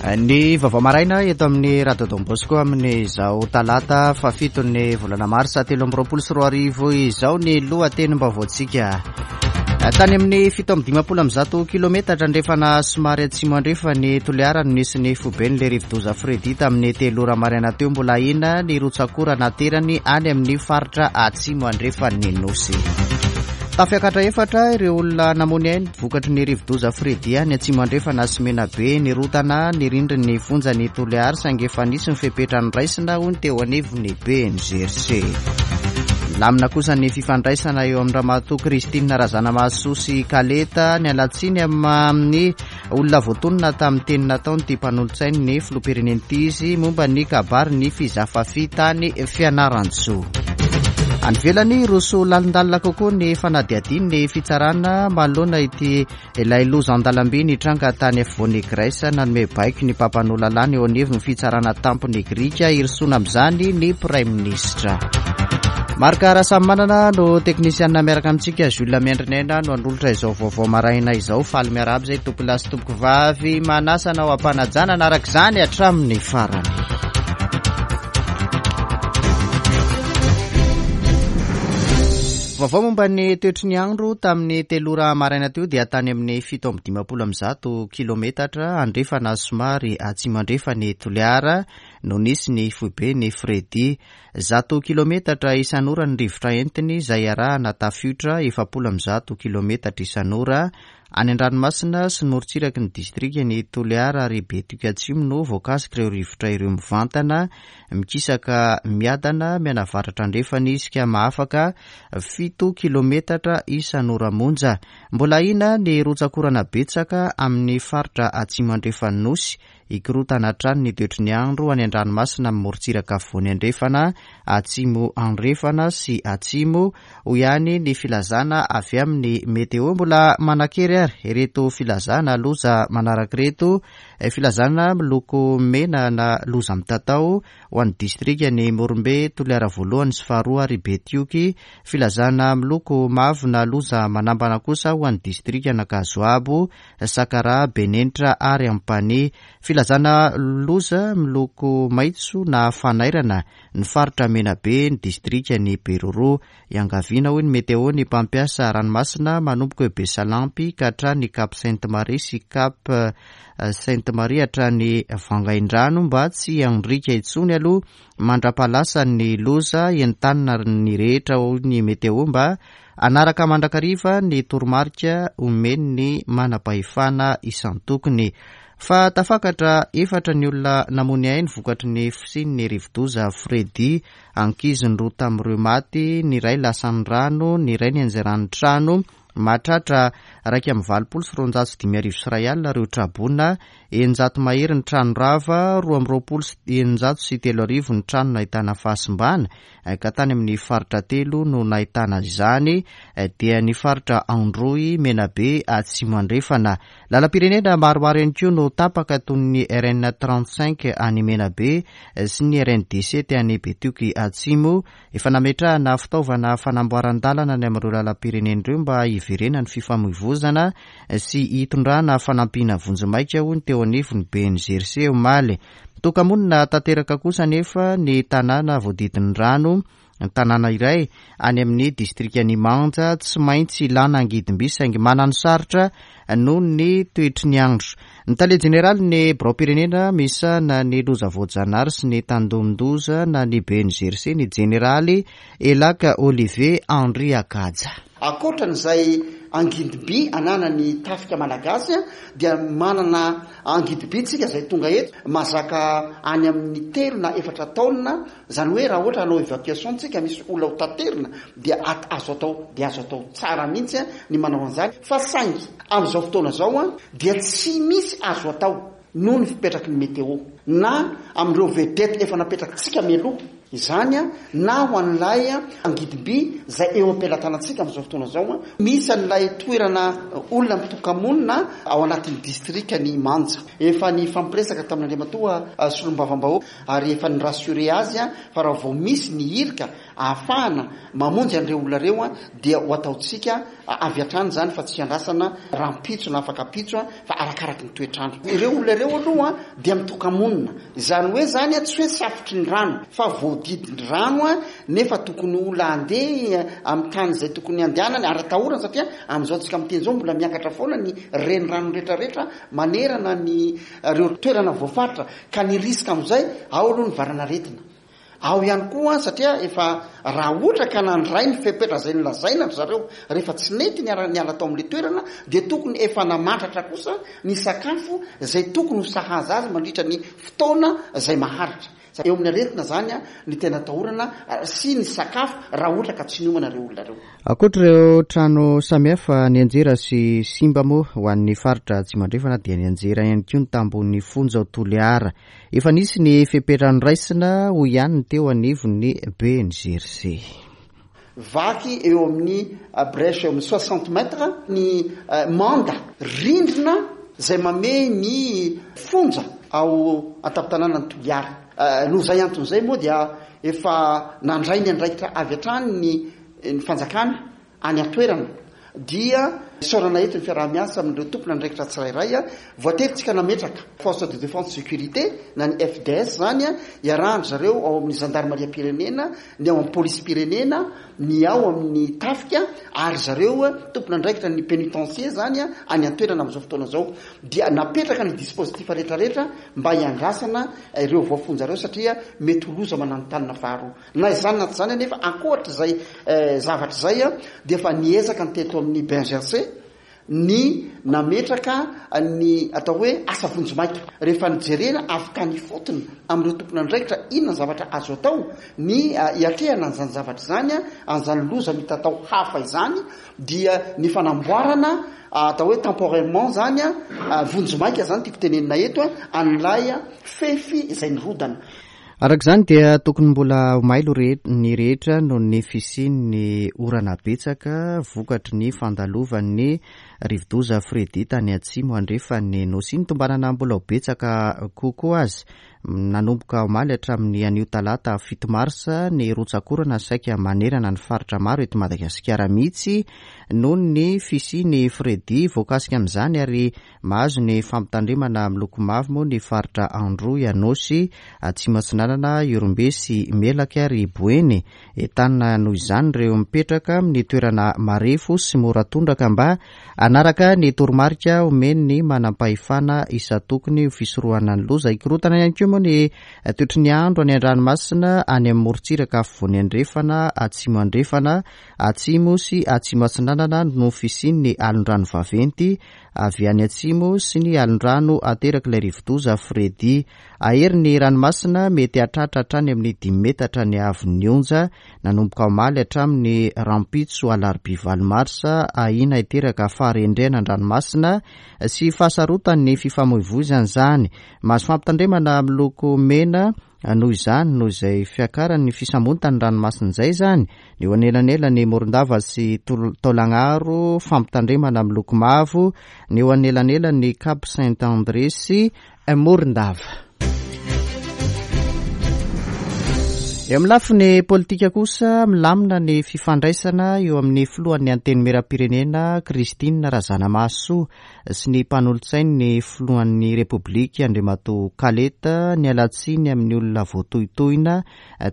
Ny vaovao maraina eto amin'ny Radio Don Bosco amin'izao talata fahafiton'ny volana marsa 2023 izao ny lohatenim-baovaontsika. Tany amin'ny 157 kilometatra andrefana somary atsimo andrefan'i Toliara no nisy ny foiben'ilay rivodoza Freddy tamin'ny telo ora maraina teo. Mbola ahiana ny rotsak'orana aterany any amin'ny faritra atsimo andrefan'ny Nosy. Tafiakatra efatra ireo olona namoy ainy vokatry ny rivodoza Freddy any atsimo andrefana sy Menabe. Nirotana ny rindrin'ny fonjan'i Toliara saingy efa nisy ny fepetra noraisina hoy ny teo anivon'ny BNGRC. Milamina kosa ny fifandraisana eo amin'ny Ramatoa Christine Razanamahasoa sy Kaleta. Niala tsiny amin'ny olona voatonona tamin'ny teny nataon'ity mpanolotsain'ny filoham-pirenena ity izy momba ny kabarin'ny Fizafafi tany Fianarantsoa. Any ivelany, roso lalindalina kokoa ny fanadihadian'ny fitsarana manoloana ity Ilay loza an-dalamby nitranga tany afovoan'i Grèce, nanome baiko ny mpampanoa lalàna eo anivon'ny fitsarana tampon'i Grika hirosoana amin'izany ny Praiminisitra. Marc Rasamimanana no teknisianina miaraka amintsika, Jules Miandrinaina no hanolotra izao vaovao maraina izao. Faly miarahaba izay tompolahy sy tompokovavy, manasa anao am-panajana hanaraka izany hatramin'ny farany. Vaovao momba ny toetry ny andro tamin'ny telo ora maraina teo dia tany amin'ny 157 kilometatra andrefana somary atsimo andrefan'i Toliara no nisy ny foiben'i Freddy. 100 kilometatra isan'ora ny rivotra entiny izay arahana tafiotra 140 kilometatra isan'ora any an-dranomasina sy ny morontsiraky ny distrikan'i Toliara ary Betioky Atsimo no voakasik'ireo rivotra ireo mivantana Mikisaka miadana mianavaratra andrefana izy ka mahafaka fito kilometatra isan'ora monja. Mbola ahiana ny rotsak'orana betsaka amin'ny faritra atsimo andrefan'ny Nosy. Hikorontana hatrany ny toetry ny andro any an-dranomasina amin'ny morontsiraka afovoany andrefana, atsimo andrefana sy atsimo, hoy ihany ny filazana avy amin'ny Météo. Mbola manan-kery ary ireto filazana loza manaraka ireto. Filazana miloko mena na loza mitatao ho an'ny distrikan'i Morombe, Toliara voalohany sy faharoa ary Betioky. Filazana miloko mavo na loza manambana kosa ho an'ny distrikan'Ankazoabo, Sakaraha, Benenitra ary Ampanihy. Filazana loza miloko maitso na fanairana ny faritra Menabe, ny distrikan'i Beroroha. Iangaviana hoy ny Météo ny mpampiasa ranomasina manomboka eo Besalampy ka hatrany Cap Sainte Marie sy Cap Sainte Marie hatrany Vangaindrano mba tsy handriaka intsony aloha mandrapahalasan'ny loza. Entanina ny rehetra hoy ny Météo mba hanaraka mandrakariva ny toromarika omen'ny manam-pahefana isan-tokony. Fa tafakatra efatra ny olona namoy ny ainy vokatry ny fisian'ny rivodoza Freddy Ankizy ny roa tamin'ireo maty, ny iray lasan'ny rano, ny iray nianjeran'ny trano. Mahatratra 281 ireo traboina, 600 mahery ny trano rava, 622 ny trano nahitana fahasimbana, ka tany amin'ny faritra telo no nahitana izany, dia ny faritra Androy, Menabe, Atsimo Andrefana. Lalam-pirenena maromaro ihany koa no tapaka toy ny RN 35 any Menabe sy ny RN 17 any Betioky Atsimo. Efa nametrahana fitaovana fanamboaran-dalana any amin'ireo lalam-pirenena ireo mba hiverenan'ny fifamoivozana sy hitondrana fanampiana vonjimaika hoy ny teo anivon'ny BNGRC omaly. Mitoka-monina tanteraka kosa anefa ny tanàna voadidin'ny rano Tanàna iray any amin'ny distrikan'i Manja tsy maintsy ilàna angidimby saingy mananosarotra noho ny toetry ny andro. Ny tale jeneralin'ny biraom-pirenena misahana ny loza voajanahary sy ny tandindon-doza na ny BNGRC, ny jeneraly Elaka Olivier Andriakaja. Ankoatra an'izay angidimby ananan'ny tafika malagasy dia manana angidimby tsika izay tonga eto mahazaka any amin'ny telo na efatra taonina Izany hoe raha ohatra hanao evacuation tsika misy olona ho taterina dia at azo atao dia azo atao tsara mihitsy ny manao an'izany fa saingy amin'izao fotoana izao dia tsy misy azo atao noho ny fipetraky ny météo na amin'ireo vedette efa napetrakitsika mialoha izany na ho an'ilay angidim-by izay eo am-pelatanantsika amin'izao fotoana izao. Misy an'ilay toerana olona mitoka-monina ao anatin'ny distrikan'i Manja. Efa nifampiresaka tamin'Andriamatoa Solombavambahoaka ary efa ni-rassurer azy fa raha vao misy ny irika ahafahana mamonjy an'ireo olona ireo dia ho ataontsika avy hatrany izany fa tsy hiandrasana rahampitso na afak'ampitso fa arakaraky ny toetr'andro. Ireo olona ireo aloha dia mitoka-monina, izany hoe izany tsy hoe safotry ny rano fa voadidin'ny rano nefa tokony olona handeha amin'ny tany izay tokony handehanany ary atahorana satria amin'izao tsika miteny izao mbola miakatra foana ny renirano rehetrarehetra manerana ny ireo toerana voafaritra ka ny risque amin'izay ao aloha ny valan'aretina. Ao ihany koa satria efa raha ohatra ka nandray ny fepetra izay nolazaina ry zareo rehefa tsy nety niara niala tao amin'ilay toerana dia tokony efa namantratra kosa ny sakafo izay tokony ho sahaza azy mandritra ny fotoana izay maharitra. Eo amin'ny aretina izany ny tena atahorana sy ny sakafo raha ohatra ka tsy niomana ireo olona ireo. Ankoatra ireo trano samihafa nianjera sy simba moa ho an'ny faritra Atsimo Andrefana dia nianjera ihany koa ny tambohon'ny fonja ao Toliara. Efa nisy ny fepetra noraisina, hoy ihany ny teo anivon'ny BNGRC. Vaky eo amin'ny brèche eo amin'ny 60 mètres ny manda rindrina izay mamehy ny fonja ao an-tampon-tanànan'i Toliara. Noho izay antony izay moa dia efa nandray ny andraikitra avy hatrany ny fanjakana any an-toerana dia isaorana eto ny fiaraha-miasa amin'ireo tompon'andraikitra tsirairay. Voatery tsika nametraka force de défense sécurité na ny FDS izany iarahan-dry zareo ao amin'ny zandarimariam-pirenena, ny ao amin'ny polisim-pirenena, ny ao amin'ny tafika ary zareo tompon'andraikitra ny pénitencier izany any an-toerana amin'izao fotoana izao. Dia napetraka ny dispositif rehetrarehetra mba hiandrasana ireo voafonja ireo satria mety ho loza mananontanona faharoa. Na izany na tsy izany anefa, ankoatra izay zavatra izay dia efa niezaka ny teto amin'ny BNGRC ny nametraka ny atao hoe asa vonjimaika. Rehefa nijerena avy tany ifotony amin'ireo tompon'andraikitra inona ny zavatra azo atao ny hiatrehana an'izany zavatra izany, an'izany loza mitatao hafa izany dia ny fanamboarana atao hoe temporairement izany, vonjimaika izany tiako tenenina eto, an'ilay fefy izay nirodana. Araka izany dia tokony mbola ho mailo ny rehetra noho ny fisian'ny orana betsaka vokatry ny fandalovan'ny rivodoza Freddy tany atsimo andrefan'ny Nosy iny. Tombanana mbola ho betsaka kokoa aza nanomboka omaly hatramin'ny anio talata 7 marsa ny rotsak'orana saika manerana ny faritra maro eto Madagasikara mihitsy noho ny fisian'i Freddy. Voakasika amin'izany ary Mahazo ny fampitandremana miloko mavo moa ny faritra Androy, Anôsy, Atsimo Atsinanana, Ihorombe sy Melaky ary Boeny. Entanina noho izany ireo mipetraka amin'ny toerana marefo sy mora tondraka mba hanaraka ny toromarika omen'ny manampahefana isan-tokony ho fisorohana ny loza. Hikorontana ihany koa moa ny toetry ny andro any an-dranomasina any amin'ny morontsiraka afovoany andrefana, atsimo andrefana, atsimo sy atsimo atsinanana noho fisian'ny alondrano vaventy avy any atsimo sy ny alondrano aterak'ilay rivodoza Freddy. Hahery ny ranomasina, mety hahatratra hatrany amin'ny dimy metatra ny haavon'ny onja, nanomboka omaly hatramin'ny rahampitso alarobia valo marsa, ahiana hiteraka faharendrehana an-dranomasina sy fahasarotan'ny fifamoivoizana izany. Mahazo fampitandremana miloko mena noho izany, noho izay fiakaran'ny fisambotan'ny ranomasina izay izany, ny eo anelanelan'i Morondava sy Taolagnaro, fampitandremana miloko mavo, ny eo anelanelan'i Cap Saint André sy Morondava. Eo amin'ny lafiny politika kosa, milamina ny fifandraisana eo amin'ny filohan'ny Antenimierampirenena Christine Razanamahasoa sy ny mpanolotsain'ny filohan'ny Repoblika Andriamatoa Kaleta niala tsiny amin'ny olona voatohitohina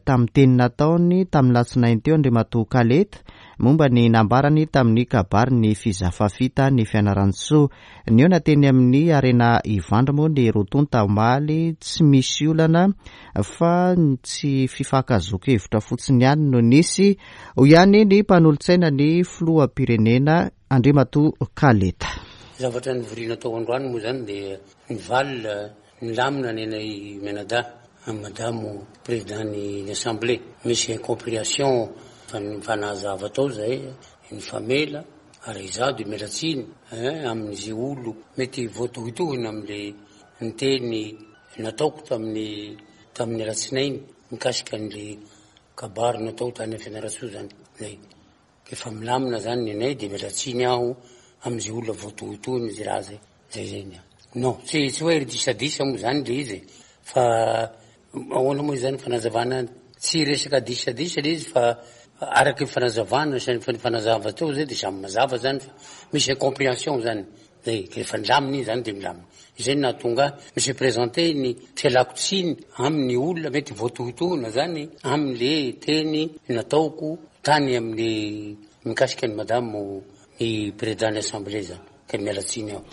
tamin'ny teny nataony tamin'ny latsinainy teo Andriamatoa Kaleta momba ny nambarany tamin'ny kabarin'ny Fizafafi tany Fianarantsoa. Nihaona teny amin'ny Arena Ivandry moa ny roa tonta omaly, tsy misy olana fa ny tsy fifankahazoan-kevitra fotsiny ihany no nisy, hoy ihany ny mpanolotsaina ny filoham-pirenena Andriamatoa Kaleta. Zavatra nivoriana tao androany moa izany dia nivalona nilamina ny anay mianadahy amin'i Madamo Président ny Assemblée. Misy incompréhension fa nifanazava tao zahay, nifamela ary izaho dia miala tsiny hein amin'izay olo mety voatohitohina amin'ilay niteny nataoko tamin'ny tamin'ny alatsinainy mikasika an'ilay kabary natao tany Fianarantsoa izany. Zay. Efa milamina zany ny anay de miala tsiny aho amzay olona voatohitohina zay raha zay, zay zay ny ahy. Non, tsy tsy hoe disadisa moa zany le izy e, fa ahoana moa izany fanazavana any? Tsy resaka disadisa le izy fa araka ny fanazavana sy ny fanazava teo zay de samy mazava zany fa misy incomprehension zany. Zay, rehefa nilamina iny zany de milamina. Izay no nahatonga ahy mi se presenter ny fialako tsiny amin'ny olona mety voatohitohina zany amin'le teny nataoko tany amin'ny mikasika an'i madame ny président ny assemblée zany ka miala tsiny aho.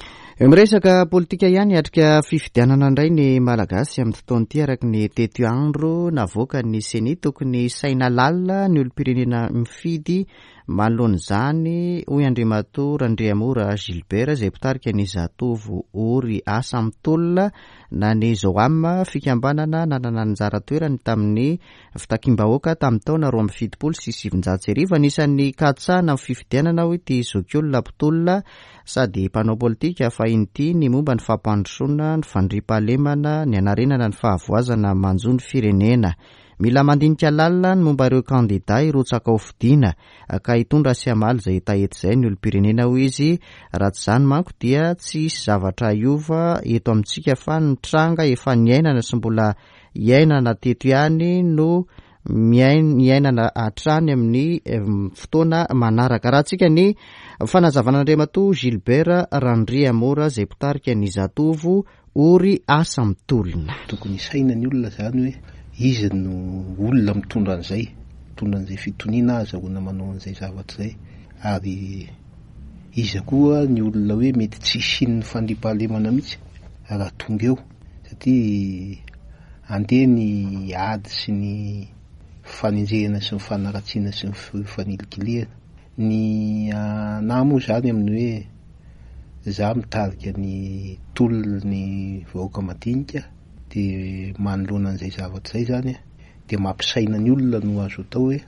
Miresaka politika ihany, hiatrika fifidianana indray ny Malagasy amin'ity taona ity araka ny tetiandro navoakan'ny Ceni. Tokony hisaina lalina ny olom-pirenena mifidy Manoloana izany, hoy Andriamatoa Randriamora Gilbert izay mpitarika ny Zatovo Ory Asa Mitolona na ny Zoam, fikambanana nanana anjara toerany tamin'ny fitakiam-bahoaka tamin'ny taona 1972. Anisan'ny katsahana amin'ny fifidianana, hoy ity zokiolona mpitolona sady mpanao politika fahiny ity, ny momba ny fampandrosoana, ny fandriampahalemana, ny hanarenana ny fahavoazana manjo ny firenena. Mila mandinika lalina ny momba ireo kandida hirotsaka ho fidiana ka hitondra sy hamaly izay hetaheta izay ny olom-pirenena hoy izy, raha tsy izany manko dia tsy hisy zavatra hiova eto amintsika fa ny tranga efa niainana sy mbola iainana teto ihany no miainana hatrany amin'ny fotoana manaraka. Arahantsika ny fanazavan'Andriamatoa Gilbert Randriamora izay mpitarika ny Zatovo Ory asa mitolona. Tokony hisaina ny olona izany hoe iza no olona mitondra an'izay, mitondra an'izay fitoniana ahazahoana manao an'izay zavatra izay ary iza koa ny olona hoe mety tsy hisian'ny fandriampahalemana mihitsy raha tonga eo satria andeha ny ady sy ny fanenjehana sy ny fanaratsiana sy ny fanilikilihana. Ny anah moa izany amin'ny hoe Za mitarika ny tolon'ny vahoaka madinika de manoloana an'izay zavatra izay zany de mampisaina ny olona no azo atao hoe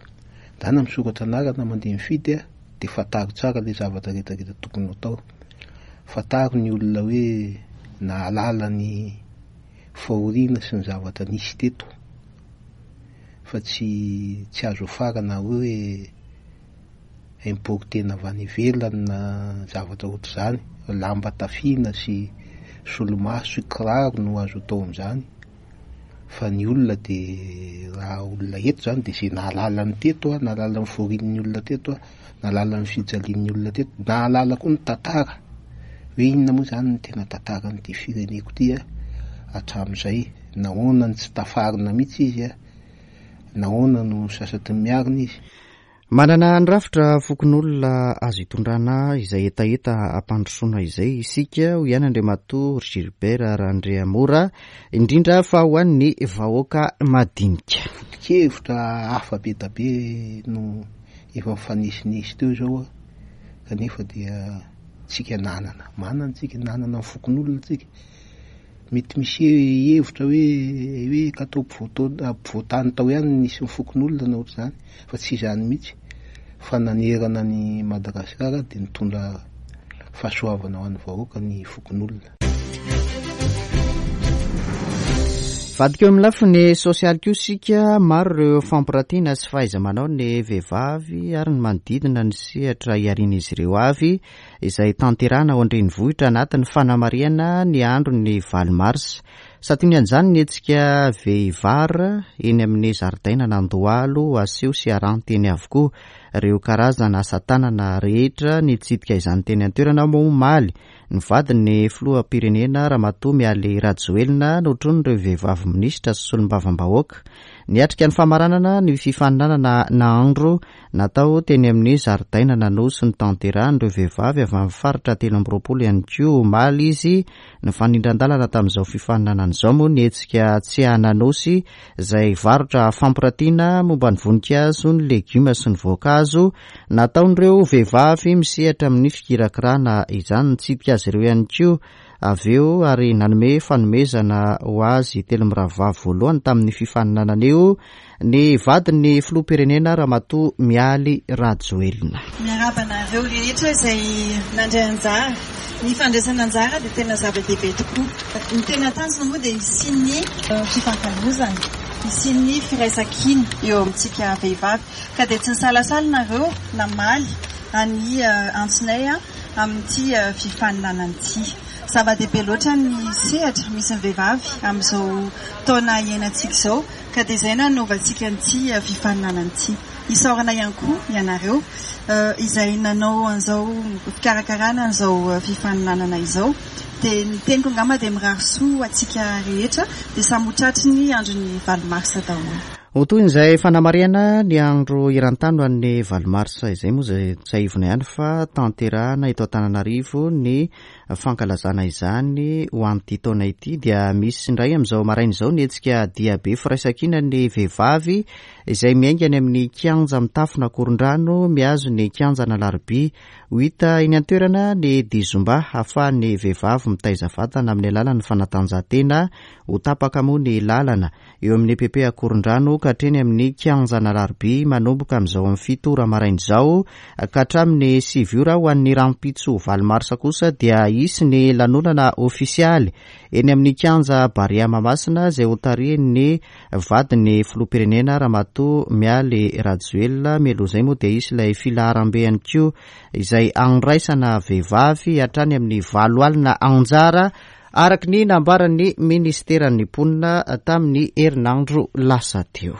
ndana misoratra anarana mandeha mifidy a de fantaro tsara le zavatra rehetra rehetra tokony ho atao, fantaro ny olona hoe nahalala ny fahoriana sy ny zavatra nisy teto fa tsy tsy azo afarana hoe importena avy any ivelany na zavatra ohatr'izany, lamba tafiana sy solomaso sy kiraro no azo atao amin'izany fa ny olona de raha olona eto zany de zay nahalala ny teto a, nahalala ny fahorian'ny olona teto a, nahalala ny fijalian'ny olona teto, nahalala koa ny tantara hoe inona moa zany ny tena tantaran'ity fireneko ity a hatramin'izay, nahoana no tsy tafarina mihitsy izy a, nahoana no sasatry ny miarina izy. Manana ny rafitra fokonolona azo itondrana izay hetaheta hampandrosoana izay isika, hoy ihany Andriamatoa Gilbert Randriamora, indrindra fa ho an'ny vahoaka madinika. Foto-kevitra hafa be da be no efa nifanesinesy teo izao kanefa dia tsika nanana, manana tsika, nanana ny fokonolona tsika. Mety misy hevitra hoe hoe ka tao ampovoan-tany tao ihany no nisy ny fokonolona na ohatr'izany fa tsy izany mihitsy fa nanerana an'i Madagasikara dia nitondra fahasoavana ho an'ny vahoaka ny fokonolona. Vadiko eo amin'ny lafiny sosialy koa isika, maro ireo fampiratiana sy fahaiza-manao ny vehivavy ary ny manodidina ny sehatra iharian'izy ireo avy. izay tanterahina ao an-drenivohitra anatin'ny fanamarihana ny andron'ny valo marsa. Santionan'izany ny hetsika Vehivar eny amin'ny zaridainan'Andohalo, aseho sy aranty eny avokoa ireo karazana asa tanana rehetra. Nitsidika izany teny an-toerana moa omaly ny vadin'ny filoham-pirenena Ramatoa Mialy Rajoelina notronin'ireo vehivavy minisitra sy solombavambahoaka. Niatrika ny famaranana ny fifaninanana nahandro Natao teny amin'ny zaridainan'Anosy notanterahin'ireo vehivavy avy amin'ny faritra 23 ihany koa omaly izy. Nifanindran-dalana tamin'izao fifaninanana izao moa ny hetsika Tsehan'Anosy izay varotra fampiratiana momba ny voninkazo, ny legioma sy ny voankazo nataon'ireo vehivavy misehatra amin'ny fikirakirana izany. Nitsidika azy ireo ihany koa avy eo ary nanome fanomezana ho azy telo mirahavavy voalohany tamin'ny fifaninanana io ny vadin'ny filoham-pirenena Ramatoa Mialy Rajoelina. Miarahaba anareo rehetra izay nandray anjara. Ny fandraisana anjara dia tena zava-dehibe tokoa. Ny tena tanjona moa dia hisian'ny fifankalozana, hisian'ny firaisankina eo amintsika vehivavy. Ka dia tsy nisalasala nareo namaly an'ny antsonay amin'ity fifaninanana ity. Zava-dehibe loatra ny sehatra misy ny vehivavy amin'izao taona iainantsika izao ka dia izay no nanaovantsika an'ity fifaninanana ity. Isaorana ihany koa ianareo izay nanao an'izao fikarakarana an'izao fifaninanana izao. Dia ny teniko angamba dia mirary soa ho antsika rehetra dia samy ho tratry ny andron'ny valo marsa daholo. Ho tohin'izay fanamarihana ny andro eran-tany ho an'ny valo marsa izay moa izay tsiahivina ihany fa tanterahana eto Antananarivo ny fankalazana izany ho an'ity taona ity dia misy indray amin'izao maraina izao ny hetsika diabe firaisankinan'ny vehivavy izay miainga any amin'ny kianja mitafon'Akorondrano mihazo ny kianjan'Alarobia. Ho hita eny an-toerana ny dihy zumba hahafahan'ny vehivavy mitaiza vatana amin'ny alalan'ny fanatanjahantena. Ho tapaka moa ny lalana eo amin'ny EPP Akorondrano ka hatreny amin'ny kianjan'Alarobia manomboka amin'izao amin'ny fito ora maraina izao ka hatramin'ny sivy ora. Ho an'ny rahampitso valo marsa kosa dia hisy ny lanonana ofisialy eny amin'ny kianja Barea Mahamasina izay hotarihin'ny Vadin'ny filoham-pirenena Ramatoa Mialy Rajoelina. Mialoha izay moa dia hisy ilay filaharambe ihany koa izay handraisana vehivavy hatrany amin'ny 80 anjara araka ny nambaran'ny minisiteran'ny mponina tamin'ny herinandro lasa teo.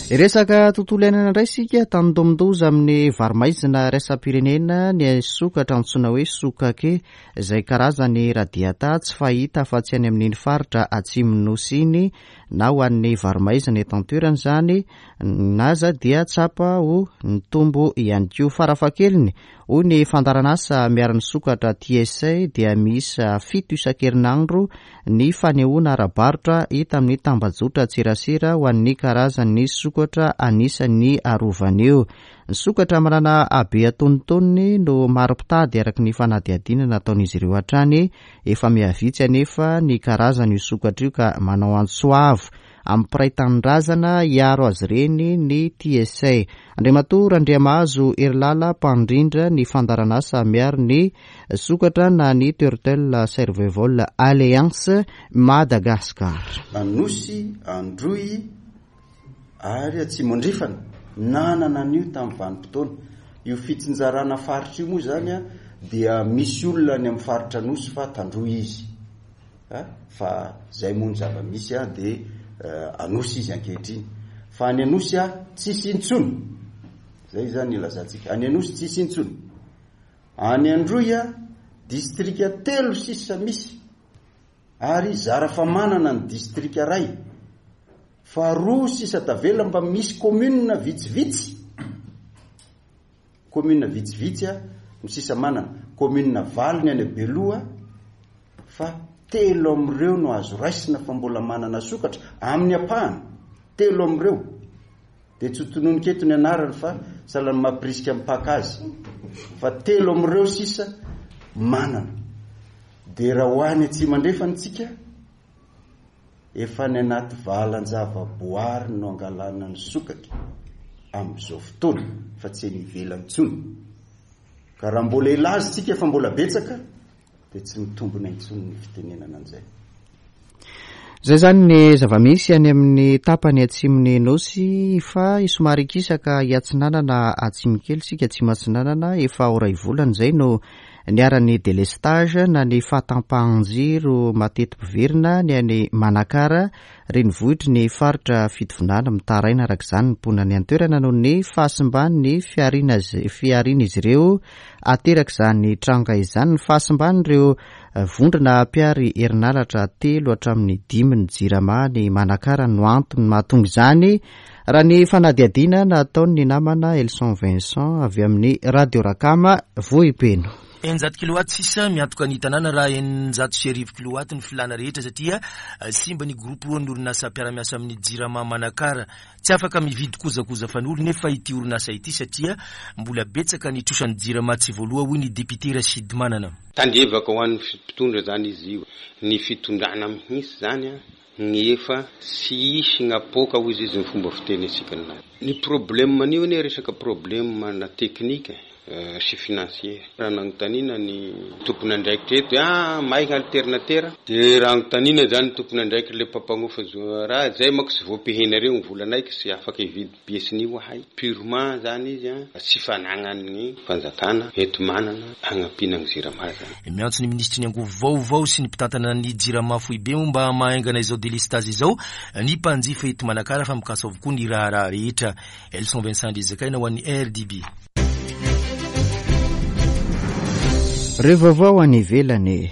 Resaka tontolo iainana indray isika, tandindomin-doza amin'ny varo-maizina iraisam-pirenena ny sokatra antsoina hoe sokake. izay karazany radiata tsy fahita afa-tsy any amin'iny faritra atsimon'ny Nosy iny na ho an'ny varo-maizina eto an-toerana izany na aza dia tsapa ho nitombo ihany koa. Farafahakeliny, hoy ny fandaharanasa miaro ny sokatra TSA dia miisa fito isan-kerinandro ny fanehoana ara-barotra hita amin'ny tambajotran-tserasera ho an'ny karazan'ny sokatra anisan'ny arovana io. Ny sokatra manana habe antonontonony no maro mpitady araka ny fanadihadiana nataon'izy ireo hatrany. Efa mihavitsy anefa ny karazan'io sokatra io ka manao antso avo amin'ny mpiray tanindrazana hiaro azy ireny ny TSA. Andriamatoa Randriamahazo Herilala mpandrindra ny fandaharanasa miaro ny sokatra na ny Turtle Survival Alliance Madagascar. Anosy, Androy, ary Atsimo Andrefana nanana an'io tamin'ny vanim-potoana. Io fitsinjarana faritra io moa izany dia misy olona any amin'ny faritra Anosy fa Tandroy izy. Fa izay moa ny zava-misy dia Anosy izy ankehitriny. Fa any Anosy tsisy intsony. Izay izany ilazantsika. Any Anosy tsisy intsony. Any Androy distrika telo sisa misy. Ary zara fa manana ny distrika ray fa roa sisa tavela mba misy commune vitsivitsy, commune vitsivitsy a no sisa manana, commune valo ny any Beloha fa telo amin'ireo no azo raisina fa mbola manana sokatra amin'ny ampahany, telo amin'ireo. Dia tsy ho tononiko eto ny anarany fa sahala ny mampirisika ny mpaka azy fa telo amin'ireo sisa manana. Dia raha ho any atsimo andrefana isika, efa any anaty valan-javaboary no angalana ny sokatra amin'izao fotoana fa tsy eny ivelany intsony. Ka raha mbola hilaza isika fa mbola betsaka dia tsy mitombina intsony ny fitenenana an'izay. Izay izany ny zava-misy any amin'ny tapany atsimon'ny Nosy fa somary hikisaka hiatsinanana atsimo kely isika, atsimo atsinanana, efa ho iray volana izay no niharan'ny délestage na ny fahatampahan-jiro mateti-piverina ny any Manakara, renivohitry ny faritra Fitovinany. Mitaraina araka izany ny mponina any an-toerana noho ny fahasimban'ny fiharian'izy ireo Aterak'izany tranga izany ny fahasimban'ireo vondrona mpihary herinaratra telo hatramin'ny dimy ny Jirama any Manakara no antony mahatonga izany, raha ny fanadihadiana nataon'ny namana Elson Vincent avy amin'ny Radio Rakama Vohipeno. 600 kilowatt sisa miantoka ny tanàna raha 1600 kilowatt ny filàna rehetra satria simba ny groupe roan'ny orinasa mpiara-miasa amin'ny Jirama Manakara. Tsy afaka mividy kojakoja fanolo nefa ity orinasa ity satria mbola betsaka ny trosan'ny Jirama tsy voaloa hoy ny député Rachid Manana. Tandrevaka ho an'ny mpitondra zany izy io. Ny fitondrana mihintsy zany ny efa tsy hisy gnapoaka hozy izy ny fomba fiteny antsika ninahy. Ny problème an'io anie resaka problème na technique e. sy financier. Raha nanontaniana ny tompon'andraikitra eto hoe ah may ny alternatera dia raha anontaniana izany ny tompon'andraikitra ilay mpampanofa raha izay manko tsy voapehinareo ny volanay ka tsy afaka hividy pièce-n'io ahay. Purement izany izy an, tsy fanagnan'ny fanjakana enti-manana hagnampiana ny Jirama izany. Miantso ny minisitry ny angovo vaovao sy ny mpitantana ny Jirama foibe moa mba hamahaingana izao delestazy izao ny mpanjifa eto Manakara fa mikasa avokoa ny raharaha rehetra. Elson Vincent Andriazakaina ho an'ny RDB. Ireo vaovao any ivelany.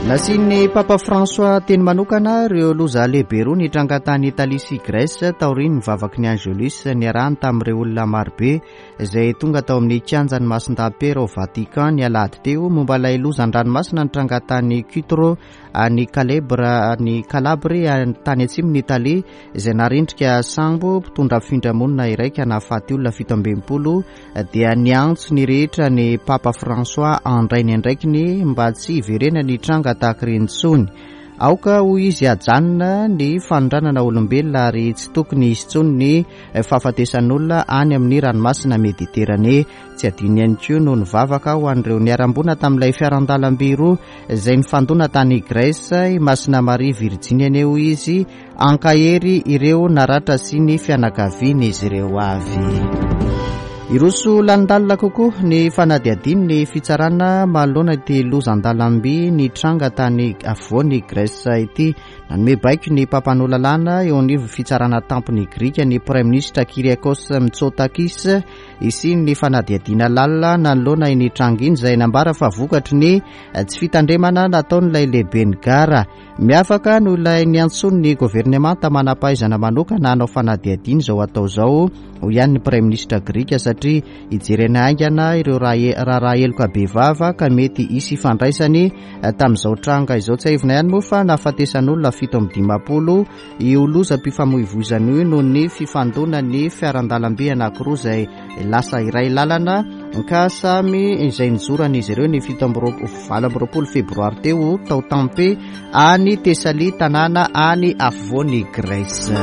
Nasian'ny Papa François teny manokana ireo loza lehibe roa nitranga tany Italia sy Grèce taorian'ny vavaky ny Angelus niarahany tamin'ireo olona marobe izay tonga tao amin'ny kianjan'ny Masindahy Piera ao Vatican ny alahady teo momba ilay loza an-dranomasina nitranga tany Cutro any Calebre any Calabria tany atsimon'i Italia izay narendrika sambo mpitondra fifindramonina iray ka nahafaty olona 67 dia niantso ny rehetra ny Papa François handray ny andraikiny mba tsy hiverenany hitranga tahaka ireny intsony. Aoka hoy izy hajanona ny fanondranana olombelona ary tsy tokony hisy intsony ny fahafatesan'olona any amin'ny ranomasina Mediterane. Tsy adino ihany koa no nivavaka ho an'ireo niharam-boina tamin'ilay fiaran-dalamby roa izay nifandona tany Grèce, i Masina Maria Virjiny anie hoy izy, Hankahery ireo naratra sy ny fianakavian'izy ireo avy. Hiroso lalindalina kokoa ny fanadihadian'ny fitsarana manoloana ity loza an-dalamby nitranga tany afovoan'i Grèce ity. Nanome baiko ny mpampanoa lalàna eo anivon'ny fitsarana tampony grika ny praiminisitra Kyriakos Mitsotakis hisian'ny fanadihadiana lalina nanoloana iny tranga iny izay nambara fa vokatry ny tsy fitandremana nataon'ilay lehiben'ny gara. Miavaka noho ilay niantsoan'ny governemanta manam-pahaizana manokana hanao fanadihadiana izao atao izao, hoy ihany ny praiminisitra grika, satria hijerena haingana ireo raharaha heloka bevava ka mety hisy ifandraisany tamin'izao tranga izao. Tsiahivina ihany moa fa nahafatesan'olona 57 io lozam-pifamoivoizana io noho ny fifandonan'ny fiaran-dalamby anankiroa izay lasa iray lalana ka samy izay nizoran'izy ireo ny 28 febroary teo tao Tempe any Thessalie, tanàna any afovoan'i Grèce.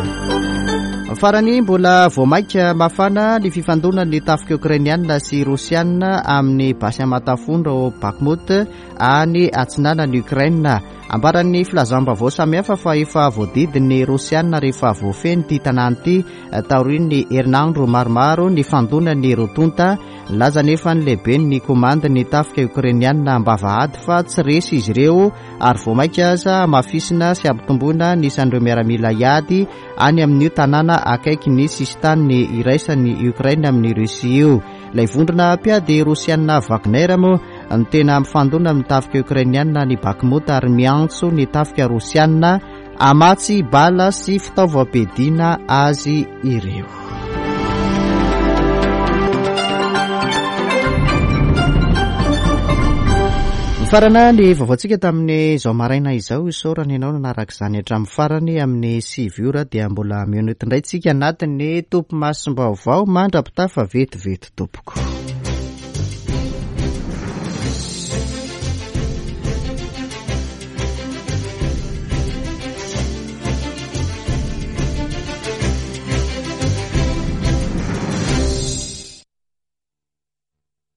Farany, mbola vao mainka mafana ny fifandonan'ny tafika Okrainiana sy Rosiana amin'ny basy aman-tafondro ao Bakhmut any atsinanan'i Ukraine. Ambaran'ny filazam-baovao samihafa fa efa voadidin'ny Rosiana rehefa voafehy ity tanàna ity taorian'ny herinandro maromaro nifandonan'ny roa tonta. Nilaza anefa ny lehiben'ny komandin'ny tafika Okrainiana am-bava ady fa tsy resy izy ireo ary vao mainka aza hamafisina sy hampitomboina ny isan'ireo miaramila hiady any amin'io tanàna akaiky ny sisintany iraisan'i Ukraine amin'i Russie io. Ilay vondrona mpiady Rosiana Wagner moa no tena mifandona amin'ny tafika Okrainiana any Bakhmut ary miantso ny tafika Rosiana hamatsy bala sy fitaovam-piadiana azy ireo. Mifarana ny vaovaontsika tamin'izao maraina izao. Isaorana ianao nanaraka izany hatramin'ny farany. Amin'ny 9 ora dia mbola mihaona eto indray tsika anatin'ny topimasom-baovao mandra-pitafa vetivety tompoko.